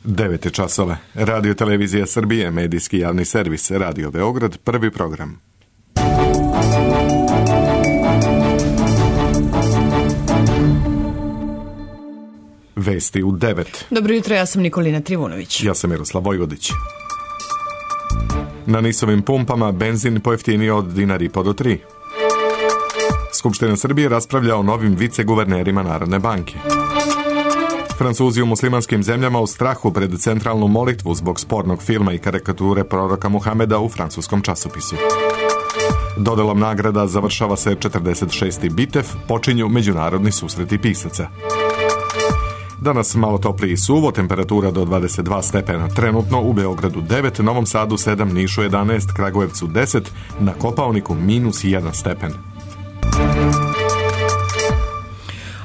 9 časova. Radio Televizija Srbije, medijski javni servis, Radio Beograd, prvi program. Vesti u 9. Dobro jutro, ja sam Nikolina Trivunović. Ja sam Miroslav Vojvodić. Na NIS-ovim pumpama benzin pojeftinio od $1,5 do 3. Skupština Srbije raspravlja o novim viceguvernerima Narodne banke. Francuzi u muslimanskim zemljama u strahu pred centralnu molitvu zbog spornog filma i karikature proroka Muhameda u francuskom časopisu. Dodelom nagrada završava se 46. bitev, počinju međunarodni susreti pisaca. Danas malo topliji i suvo, temperatura do 22 stepena. Trenutno u Beogradu 9, Novom Sadu 7, Nišu 11, Kragujevcu 10, na Kopaoniku -1 stepen.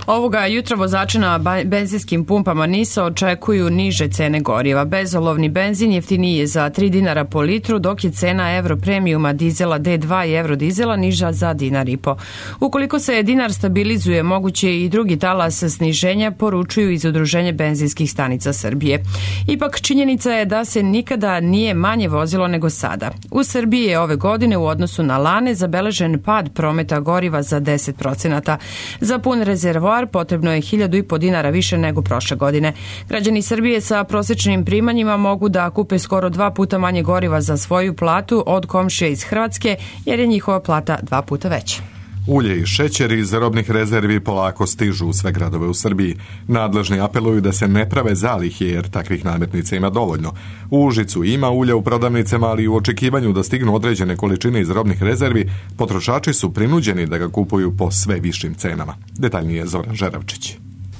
Ovoga jutra vozači na benzinskim pumpama NIS-a očekuju niže cene goriva. Bezolovni benzin jeftiniji je za $3 po litru, dok je cena Euro premiuma dizela D2 i Euro dizela niža za $1,5. Ukoliko se dinar stabilizuje, moguće i drugi talas sniženja, poručuju iz Udruženja benzinskih stanica Srbije. Ipak činjenica je da se nikada nije manje vozilo nego sada. U Srbiji je ove godine u odnosu na lane zabeležen pad prometa goriva za 10%. Za pun rezervoar potrebno je $1.500 više nego prošle godine. Građani Srbije sa prosječnim primanjima mogu da kupe skoro 2 puta manje goriva za svoju platu od komšije iz Hrvatske, jer je njihova plata 2 puta veća. Ulje i šećer iz robnih rezervi polako stižu u sve gradove u Srbiji. Nadležni apeluju da se ne prave zalihe, jer takvih namirnica ima dovoljno. U Užicu ima ulja u prodavnicama, ali u očekivanju da stignu određene količine iz robnih rezervi, potrošači su prinuđeni da ga kupuju po sve višim cenama. Detaljnije Zoran Žeravčić.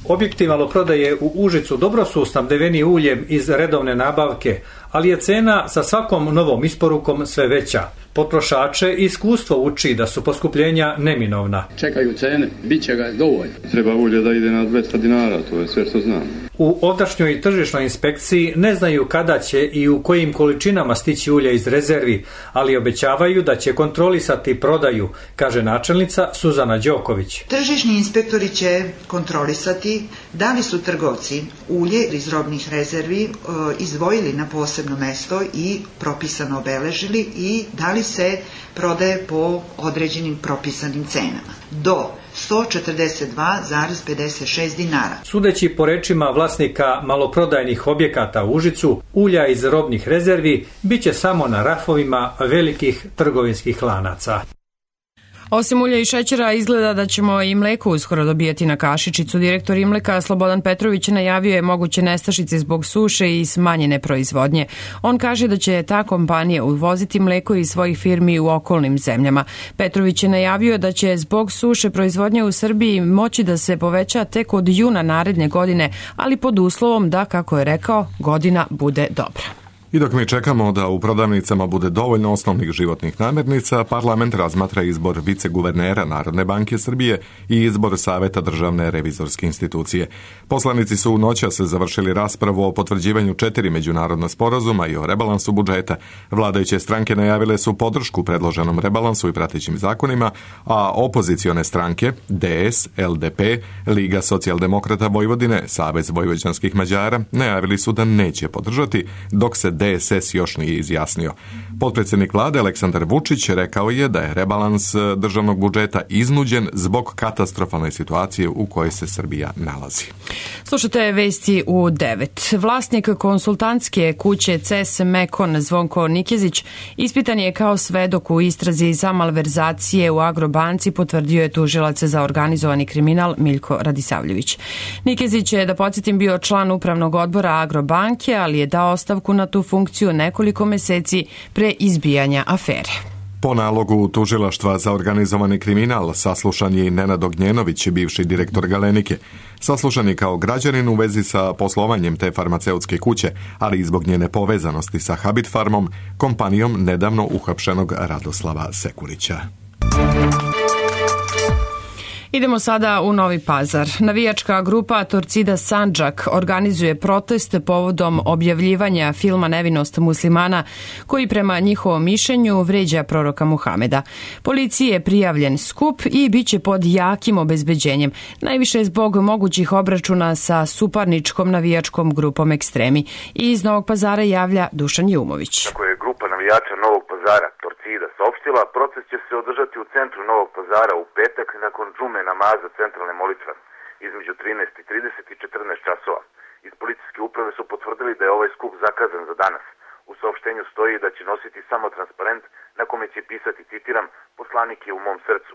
Objekti maloprodaje u Užicu dobro su snabdeveni uljem iz redovne nabavke, ali je cena sa svakom novom isporukom sve veća. Potrošače iskustvo uči da su poskupljenja neminovna. Čekaju cene, bit će ga dovoljno. Treba ulje da ide na $200, to je sve što znam. U ovdašnjoj tržišnoj inspekciji ne znaju kada će i u kojim količinama stići ulje iz rezervi, ali obećavaju da će kontrolisati prodaju, kaže načelnica Suzana Đoković. Tržišni inspektori će kontrolisati da li su trgovci ulje iz robnih rezervi izdvojili na posebno mesto i propisano obeležili i da li se prodaje po određenim propisanim cenama. Do $142,56. Sudeći po rečima vlasnika maloprodajnih objekata u Užicu, ulja iz robnih rezervi biće samo na rafovima velikih trgovinskih lanaca. Osim ulja i šećera, izgleda da ćemo i mleko uskoro dobijati na kašičicu. Direktor Imleka Slobodan Petrović najavio je moguće nestašice zbog suše i smanjene proizvodnje. On kaže da će ta kompanija uvoziti mleko iz svojih firmi u okolnim zemljama. Petrović je najavio da će zbog suše proizvodnje u Srbiji moći da se poveća tek od juna naredne godine, ali pod uslovom da, kako je rekao, godina bude dobra. I dok mi čekamo da u prodavnicama bude dovoljno osnovnih životnih namirnica, parlament razmatra izbor viceguvernera Narodne banke Srbije i izbor Saveta državne revizorske institucije. Poslanici su u noćas završili raspravu o potvrđivanju 4 međunarodna sporazuma i o rebalansu budžeta. Vladajuće stranke najavile su podršku predloženom rebalansu i pratećim zakonima, a opozicione stranke DS, LDP, Liga socijaldemokrata Vojvodine, Savez vojvođanskih Mađara najavili su da neće podržati, dok se DSS još nije izjasnio. Potpredsjednik vlade Aleksandar Vučić rekao je da je rebalans državnog budžeta iznuđen zbog katastrofalne situacije u kojoj se Srbija nalazi. Slušate vesti u 9. Vlasnik konsultantske kuće CES Mekon Zvonko Nikezić ispitan je kao svedok u istrazi za malverzacije u Agrobanci, potvrdio je tužilac za organizovani kriminal Miljko Radisavljević. Nikezić je, da podsjetim, bio član upravnog odbora Agrobanke, ali je dao ostavku na tu funkciju nekoliko meseci pre izbijanja afere. Po nalogu tužilaštva za organizovani kriminal saslušan je i Nenad Ognjenović, bivši direktor Galenike. Saslušan je kao građanin u vezi sa poslovanjem te farmaceutske kuće, ali i zbog njene povezanosti sa Habit Farmom, kompanijom nedavno uhapšenog Radoslava Sekulića. Idemo sada u Novi Pazar. Navijačka grupa Torcida Sandžak organizuje protest povodom objavljivanja filma Nevinost muslimana koji prema njihovom mišljenju vređa proroka Muhameda. Policiji je prijavljen skup i bit će pod jakim obezbeđenjem, najviše zbog mogućih obračuna sa suparničkom navijačkom grupom Ekstremi. I iz Novog Pazara javlja Dušan Jumović. Kako je grupa navijača Novog Pazara Torcida saopštila, proces će se održati u centru Novog Pazara u petak nakon džume namaza centralne molitve između 13:30 i 14 časova. Iz policijske uprave su potvrdili da je ovaj skup zakazan za danas. U saopštenju stoji da će nositi samo transparent na kome će pisati, citiram, poslanik je u mom srcu.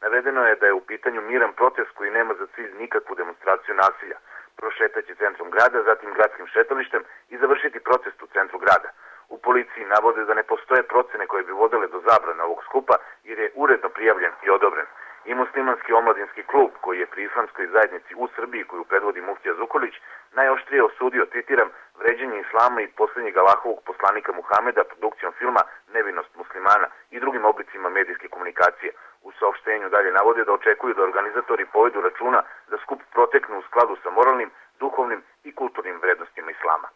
Navedeno je da je u pitanju miran protest koji nema za cilj nikakvu demonstraciju nasilja. Prošetaće centrom grada, zatim gradskim šetalištem i završiti protest u centru grada. U policiji navode da ne postoje procene koje bi vodile do zabrane ovog skupa jer je uredno prijavljen i odobren. I muslimanski omladinski klub koji je pri islamskoj zajednici u Srbiji koju predvodi muftija Zukorlić najoštrije osudio, citiram, vređanje islama i posljednjeg Allahovog poslanika Muhameda produkcijom filma Nevinost muslimana i drugim oblicima medijske komunikacije. U saopštenju dalje navode da očekuju da organizatori povedu računa da skup proteknu u skladu sa moralnim, duhovnim i kulturnim vrednostima islama.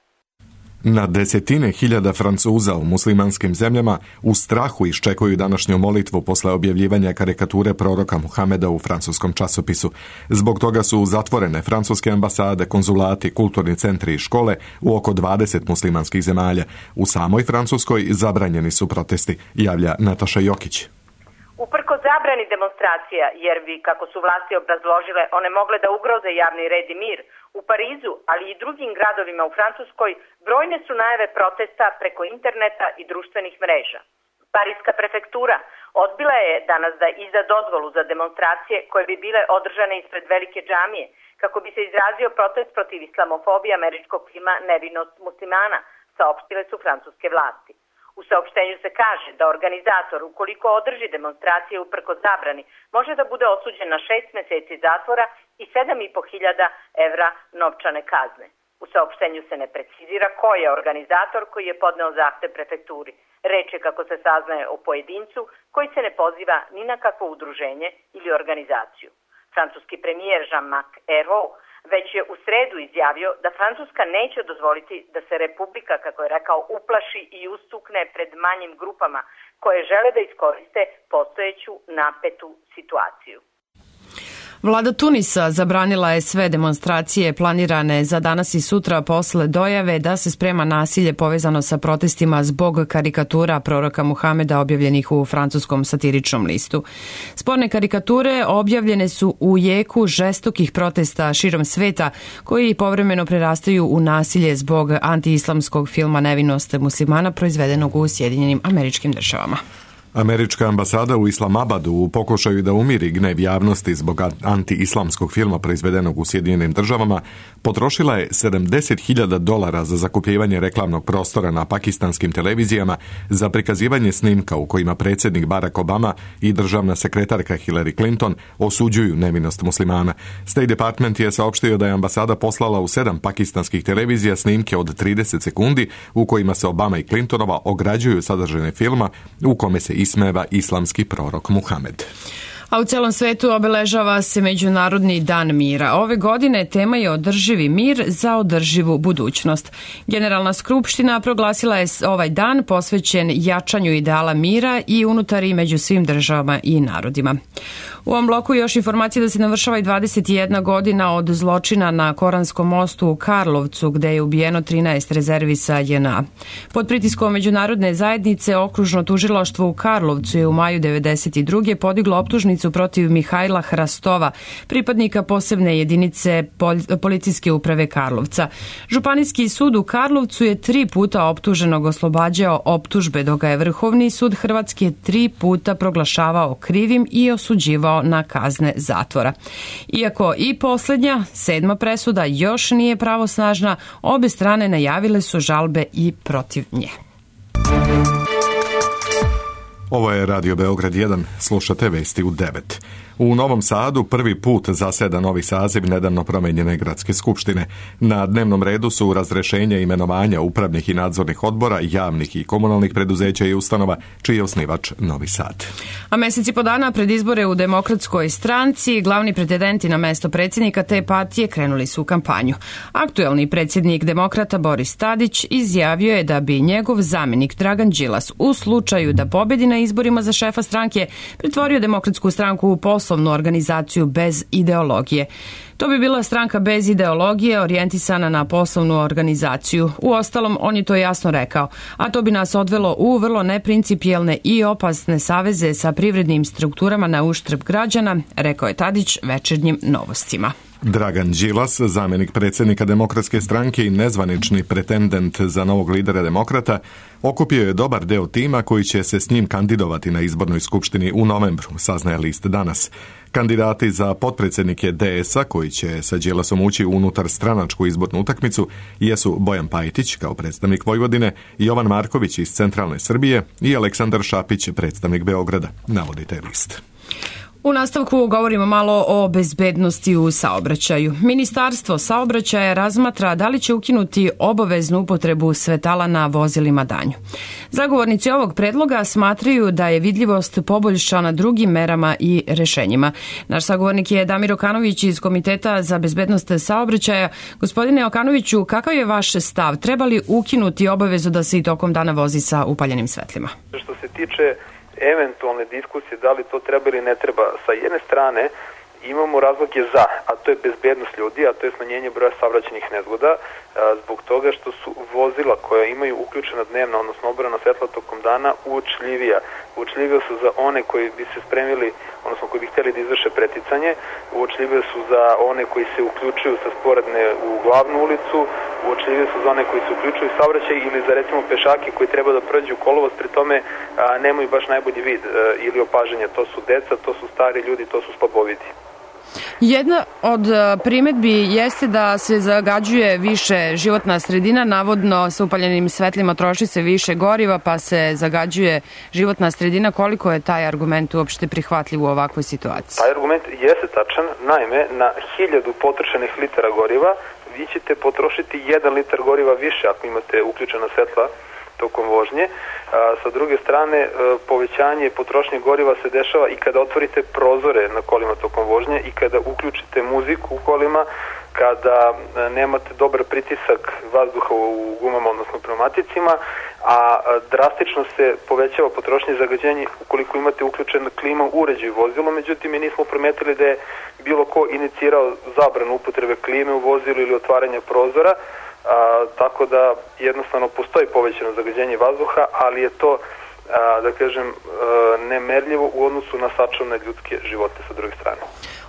Na desetine hiljada Francuza u muslimanskim zemljama u strahu iščekuju današnju molitvu posle objavljivanja karikature proroka Muhameda u francuskom časopisu. Zbog toga su zatvorene francuske ambasade, konzulati, kulturni centri i škole u oko 20 muslimanskih zemalja. U samoj Francuskoj zabranjeni su protesti, javlja Nataša Jokić. Uprko zabrani demonstracija, jer bi, kako su vlasti obrazložile, one mogle da ugroze javni red i mir, u Parizu, ali i drugim gradovima u Francuskoj, brojne su najave protesta preko interneta i društvenih mreža. Parijska prefektura odbila je danas da izda dozvolu za demonstracije koje bi bile održane ispred velike džamije, kako bi se izrazio protest protiv islamofobije američkog filma Nevinost muslimana, saopštile su francuske vlasti. U saopštenju se kaže da organizator, ukoliko održi demonstracije uprko zabrani, može da bude osuđen na 6 meseci zatvora i 7.500 evra novčane kazne. U saopštenju se ne precizira ko je organizator koji je podneo zahtev prefekturi. Reč je, kako se saznaje, o pojedincu koji se ne poziva ni na kakvo udruženje ili organizaciju. Francuski premijer Jean-Marc Ayrault već je u sredu izjavio da Francuska neće dozvoliti da se Republika, kako je rekao, uplaši i ustukne pred manjim grupama koje žele da iskoriste postojeću napetu situaciju. Vlada Tunisa zabranila je sve demonstracije planirane za danas i sutra posle dojave da se sprema nasilje povezano sa protestima zbog karikatura proroka Muhameda objavljenih u francuskom satiričnom listu. Sporne karikature objavljene su u jeku žestokih protesta širom sveta koji povremeno prerastaju u nasilje zbog antiislamskog filma Nevinost muslimana proizvedenog u Sjedinjenim Američkim Državama. Američka ambasada u Islamabadu u pokušaju da umiri gnev javnosti zbog anti-islamskog filma proizvedenog u Sjedinjenim Državama potrošila je $70.000 za zakupljivanje reklamnog prostora na pakistanskim televizijama za prikazivanje snimka u kojima predsjednik Barack Obama i državna sekretarka Hillary Clinton osuđuju nevinost muslimana. State Department je saopštio da je ambasada poslala u 7 pakistanskih televizija snimke od 30 sekundi u kojima se Obama i Clintonova ograđuju sadržine filma u kome se ismeva islamski prorok Muhamed. A u celom svetu obeležava se Međunarodni dan mira. Ove godine tema je održivi mir za održivu budućnost. Generalna skupština proglasila je ovaj dan posvećen jačanju ideala mira i unutar i među svim državama i narodima. U ovom bloku još informacije da se navršava i 21 godina od zločina na Koranskom mostu u Karlovcu, gde je ubijeno 13 rezervisa JNA. Pod pritiskom međunarodne zajednice okružno tužilaštvo u Karlovcu je u maju 1992. podiglo optužnicu protiv Mihajla Hrastova, pripadnika posebne jedinice policijske uprave Karlovca. Županijski sud u Karlovcu je 3 puta optuženog oslobađao optužbe, dok ga je Vrhovni sud Hrvatske 3 puta proglašavao krivim i osuđivao na kazne zatvora. Iako i posljednja, 7. presuda još nije pravosnažna, obe strane najavile su žalbe i protiv nje. Ovo je Radio Beograd 1, slušate vesti u 9. U Novom Sadu prvi put zaseda novi saziv nedavno promenjene gradske skupštine. Na dnevnom redu su razrešenje imenovanja upravnih i nadzornih odbora, javnih i komunalnih preduzeća i ustanova, čiji je osnivač Novi Sad. A mesec i po dana pred izbore u Demokratskoj stranci, glavni pretendenti na mesto predsjednika te partije krenuli su u kampanju. Aktuelni predsjednik Demokrata Boris Tadić izjavio je da bi njegov zamjenik Dragan Đilas u slučaju da pobedi na izborima za šefa stranke pretvorio Demokratsku stranku u poslovnu organizaciju bez ideologije. To bi bila stranka bez ideologije orijentisana na poslovnu organizaciju. Uostalom, on je to jasno rekao, a to bi nas odvelo u vrlo neprincipijelne i opasne saveze sa privrednim strukturama na uštrb građana, rekao je Tadić Večernjim novostima. Dragan Đilas, zamjenik predsjednika Demokratske stranke i nezvanični pretendent za novog lidera Demokrata, okupio je dobar deo tima koji će se s njim kandidovati na izbornoj skupštini u novembru, saznaje list danas. Kandidati za potpredsjednike DS-a koji će sa Đilasom ući unutar stranačku izbornu utakmicu jesu Bojan Pajtić kao predstavnik Vojvodine, Jovan Marković iz centralne Srbije i Aleksandar Šapić, predstavnik Beograda, navodi taj list. U nastavku govorimo malo o bezbednosti u saobraćaju. Ministarstvo saobraćaja razmatra da li će ukinuti obaveznu upotrebu svetala na vozilima danju. Zagovornici ovog predloga smatraju da je vidljivost poboljšana drugim merama i rešenjima. Naš sagovornik je Damir Okanović iz Komiteta za bezbednost saobraćaja. Gospodine Okanoviću, kakav je vaš stav? Treba li ukinuti obavezu da se i tokom dana vozi sa upaljenim svetlima? Što se tiče eventualne diskusije da li to treba ili ne treba, sa jedne strane imamo razloge za, a to je bezbednost ljudi, a to je smanjenje broja saobraćajnih nezgoda, zbog toga što su vozila koja imaju uključena dnevna, odnosno obrana svetla tokom dana, uočljivija. Uočljivija su za one koji bi se spremili, odnosno koji bi htjeli da izvrše preticanje, uočljivije su za one koji se uključuju sa sporedne u glavnu ulicu, uočljivije su za one koji se uključuju u saobraćaj ili za recimo pešake koji treba da prođu kolovoz, pri tome nemaju baš najbolji vid ili opažanja. To su deca, to su stari ljudi, to su slabovidi. Jedna od primedbi jeste da se zagađuje više životna sredina, navodno sa upaljenim svetlima troši se više goriva pa se zagađuje životna sredina. Koliko je taj argument uopšte prihvatljiv u ovakvoj situaciji? Taj argument jeste tačan, naime na 1000 potrošenih litara goriva vi ćete potrošiti 1 litar goriva više ako imate uključena svetla tokom vožnje. Sa druge strane, povećanje potrošnje goriva se dešava i kada otvorite prozore na kolima tokom vožnje i kada uključite muziku u kolima, kada nemate dobar pritisak vazduha u gumama, odnosno pneumaticima, a drastično se povećava potrošnje zagađenja ukoliko imate uključen klima uređaj u vozilu. Međutim, mi nismo primetili da je bilo ko inicirao zabranu upotrebe klime u vozilu ili otvaranja prozora, tako da jednostavno postoji povećano zagađenje vazduha, ali je to, da kažem, nemerljivo u odnosu na sačuvane ljudske živote sa druge strane.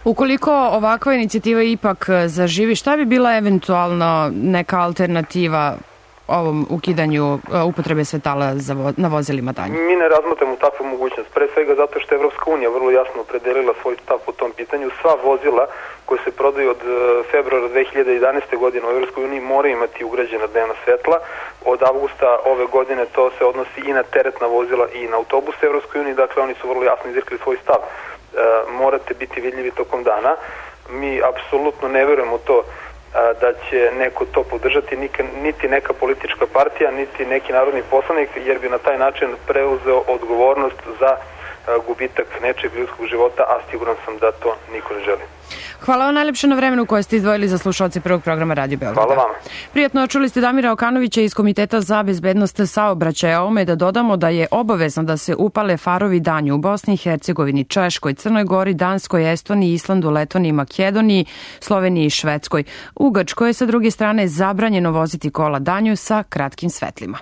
Ukoliko ovakva inicijativa ipak zaživi, šta bi bila eventualno neka alternativa ovom ukidanju upotrebe svetala na vozilima danju? Mi ne razmatramo takvu mogućnost, pre svega zato što je Evropska unija vrlo jasno opredelila svoj stav po tom pitanju. Sva vozila koje se prodaju od februara 2011. godine u Evropskoj uniji moraju imati ugrađena dnevna svetla. Od avgusta ove godine to se odnosi i na teretna vozila i na autobuse Evropskoj uniji, dakle oni su vrlo jasno izrekli svoj stav. Morate biti vidljivi tokom dana. Mi apsolutno ne verujemo to da će neko to podržati, niti neka politička partija, niti neki narodni poslanik, jer bi na taj način preuzeo odgovornost za gubitak nečeg ljudskog života, a siguran sam da to niko ne želi. Hvala vam najlepše na vremenu koje ste izdvojili za slušalce prvog programa Radio Beograda. Hvala vama. Prijatno, čuli ste Damira Okanovića iz Komiteta za bezbednost saobraćaja. Ovome da dodamo da je obavezno da se upale farovi danju u Bosni i Hercegovini, Češkoj, Crnoj Gori, Danskoj, Estoniji, Islandu, Letoniji, Makedoniji, Sloveniji i Švedskoj. U Grčkoj je sa druge strane zabranjeno voziti kola danju sa kratkim svetlima.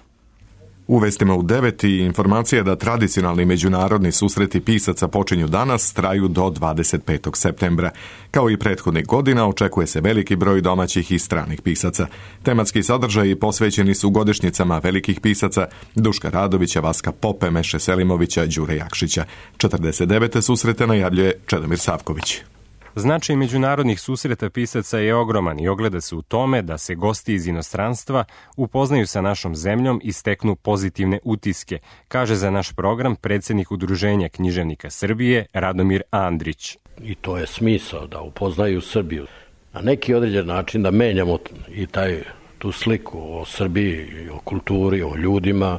U vestima u 9 i informacija da tradicionalni međunarodni susreti pisaca počinju danas, traju do 25. septembra. Kao i prethodnih godina, očekuje se veliki broj domaćih i stranih pisaca. Tematski sadržaji posvećeni su godišnjicama velikih pisaca Duška Radovića, Vaska Pope, Meše Selimovića, Đure Jakšića. 49. susrete najavljuje Čedomir Savković. Značaj međunarodnih susreta pisaca je ogroman i ogleda se u tome da se gosti iz inostranstva upoznaju sa našom zemljom i steknu pozitivne utiske, kaže za naš program predsjednik Udruženja književnika Srbije Radomir Andrić. I to je smisao, da upoznaju Srbiju. Na neki određen način da menjamo i tu sliku o Srbiji, o kulturi, o ljudima.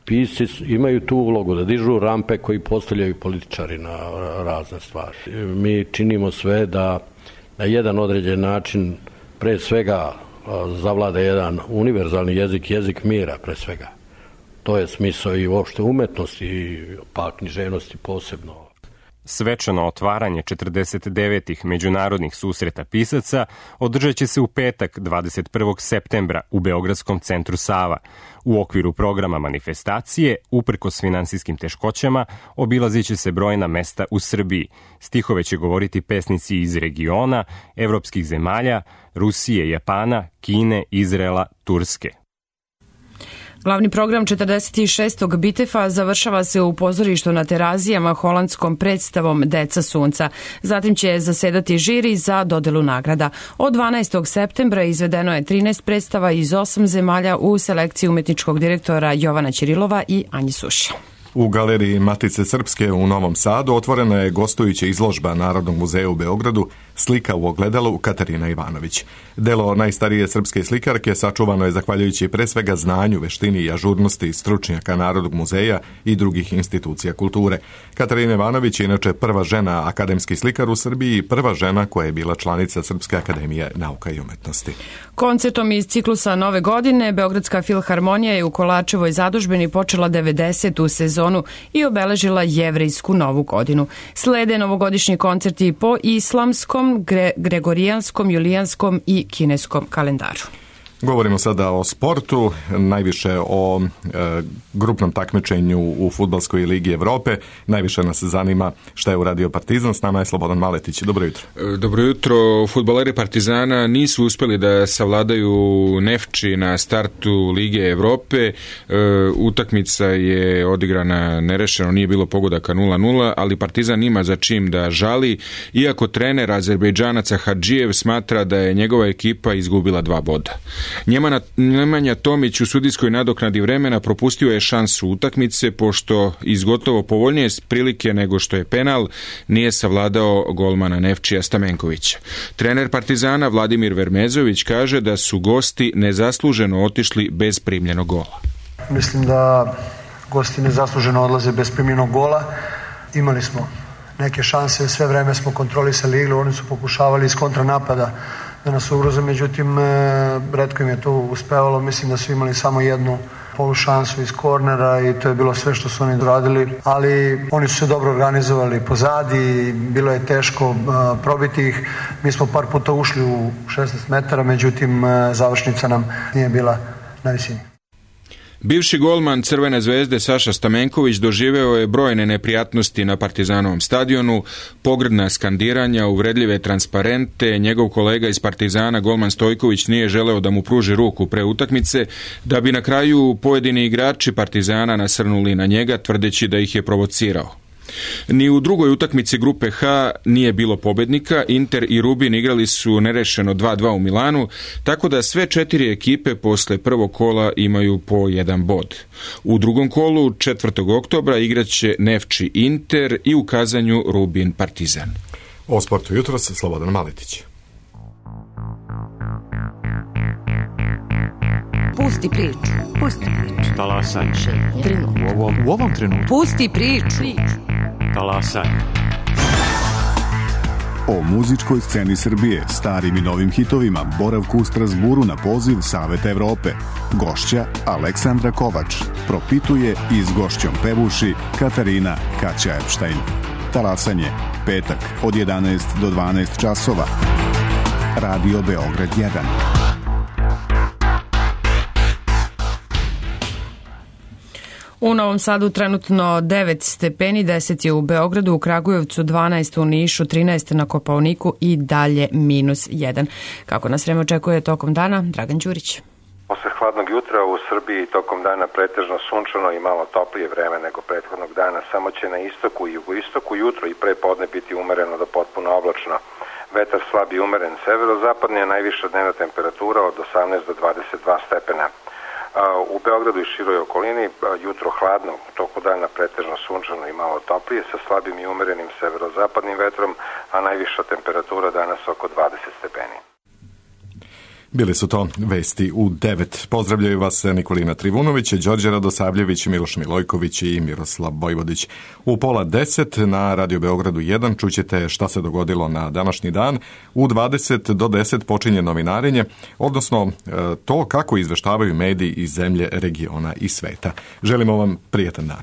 Pisci imaju tu ulogu da dižu rampe koji postavljaju političari na razne stvari. Mi činimo sve da na jedan određen način pre svega zavlada jedan univerzalni jezik, jezik mira pre svega. To je smisao i uopšte umetnosti, pa književnosti posebno. Svečano otvaranje 49. međunarodnih susreta pisaca održat će se u petak 21. septembra u Beogradskom centru Sava. U okviru programa manifestacije, uprkos finansijskim teškoćama, obilazit će se brojna mesta u Srbiji. Stihove će govoriti pesnici iz regiona, evropskih zemalja, Rusije, Japana, Kine, Izraela, Turske. Glavni program 46. Bitefa završava se u pozorištu na Terazijama holandskom predstavom Deca sunca. Zatim će zasedati žiri za dodelu nagrada. Od 12. septembra izvedeno je 13 predstava iz 8 zemalja u selekciji umetničkog direktora Jovana Ćirilova i Anje Suša. U galeriji Matice Srpske u Novom Sadu otvorena je gostujuća izložba Narodnog muzeja u Beogradu Slika u ogledalu Katarina Ivanović. Delo najstarije srpske slikarke sačuvano je zahvaljujući pre svega znanju, veštini i ažurnosti stručnjaka Narodnog muzeja i drugih institucija kulture. Katarina Ivanović je inače prva žena akademski slikar u Srbiji i prva žena koja je bila članica Srpske akademije nauka i umetnosti. Koncertom iz ciklusa Nove godine Beogradska filharmonija je u Kolačevoj zadužbini počela 90. sezonu i obeležila jevrejsku novu godinu. Slede novogodišnji koncerti po islamskom, gregorijanskom, julijanskom i kineskom kalendaru. Govorimo sada o sportu, najviše o grupnom takmičenju u Fudbalskoj ligi Evrope. Najviše nas zanima šta je uradio Partizan. S nama je Slobodan Maletić. Dobro jutro. Dobro jutro. Fudbaleri Partizana nisu uspjeli da savladaju Nefči na startu Lige Evrope. Utakmica je odigrana nerešeno, nije bilo pogodaka 0-0, ali Partizan ima za čim da žali, iako trener Azerbejdžanaca Hadžijev smatra da je njegova ekipa izgubila 2 boda. Nemanja Tomić u sudijskoj nadoknadi vremena propustio je šansu utakmice, pošto iz gotovo povoljnije prilike nego što je penal nije savladao golmana Nefčija Stamenkovića. Trener Partizana Vladimir Vermezović kaže da su gosti nezasluženo otišli bez primljenog gola. Mislim da gosti nezasluženo odlaze bez primljenog gola. Imali smo neke šanse, sve vreme smo kontrolisali igru, oni su pokušavali iz kontranapada da nas ugroze, međutim retko im je to uspevalo. Mislim da su imali samo jednu polušansu iz kornera i to je bilo sve što su oni doradili, ali oni su se dobro organizovali pozadi, bilo je teško probiti ih. Mi smo par puta ušli u 16 metara, međutim završnica nam nije bila na visini. Bivši golman Crvene zvezde Saša Stamenković doživeo je brojne neprijatnosti na Partizanovom stadionu, pogrdna skandiranja, uvredljive transparente. Njegov kolega iz Partizana, golman Stojković, nije želeo da mu pruži ruku pre utakmice, da bi na kraju pojedini igrači Partizana nasrnuli na njega, tvrdeći da ih je provocirao. Ni u drugoj utakmici grupe H nije bilo pobednika. Inter i Rubin igrali su nerešeno 2-2 u Milanu, tako da sve 4 ekipe posle prvog kola imaju po 1 bod. U drugom kolu 4. oktobra igraće Nefči Inter i u Kazanju Rubin Partizan. O sportu jutros Slobodan Maletić. Pusti priču. Pusti priču. Talasaj. U ovom trenutku. Pusti priču. Talasaj. O muzičkoj sceni Srbije, starim i novim hitovima, boravku u Strasburu na poziv Saveta Evrope. Gošća Aleksandra Kovač propituje i s gošćom pevuši Katarina Kaća Epštajn. Talasanje, petak od 11 do 12 časova. Radio Beograd 1. U Novom Sadu trenutno 9 stepeni, 10 je u Beogradu, u Kragujevcu 12, u Nišu 13, na Kopaoniku i dalje -1. Kako nas vreme očekuje tokom dana? Dragan Đurić. Posle hladnog jutra u Srbiji tokom dana pretežno sunčano i malo toplije vreme nego prethodnog dana, samo će na istoku i jugoistoku jutro i pre podne biti umereno do potpuno oblačno. vetar slab i umeren severozapadni, a najviša dnevna temperatura od 18 do 22 stepena. U Beogradu i široj okolini jutro hladno, u toku dana pretežno sunčano i malo toplije sa slabim i umerenim severozapadnim vetrom, a najviša temperatura danas oko 20 stepeni. Bili su to vesti u 9. Pozdravljaju vas Nikolina Trivunović, Đorđe Radosavljević, Miloš Milojković i Miroslav Vojvodić. U 9:30 na Radio Beogradu 1 čućete šta se dogodilo na današnji dan. U 20 do 10 počinje novinarenje, odnosno to kako izveštavaju mediji iz zemlje, regiona i sveta. Želimo vam prijetan dan.